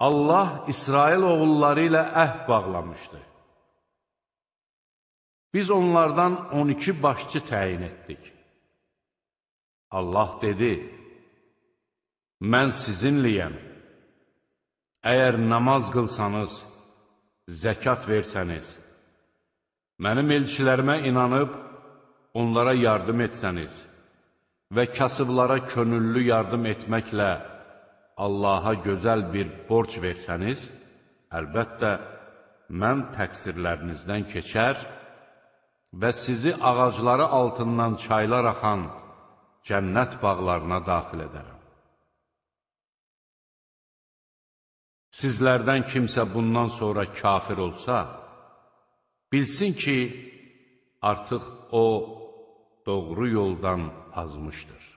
Allah İsrail oğulları ilə əhd bağlamışdı. Biz onlardan 12 başçı təyin etdik. Allah dedi, mən sizinliyəm. Əgər namaz qılsanız, zəkat versəniz, mənim elçilərimə inanıb, onlara yardım etsəniz və kasıblara könüllü yardım etməklə Allaha gözəl bir borc versəniz, əlbəttə, mən təqsirlərinizdən keçər və sizi ağacları altından çaylar axan cənnət bağlarına daxil edərəm. Sizlərdən kimsə bundan sonra kafir olsa, bilsin ki, artıq o doğru yoldan azmışdır.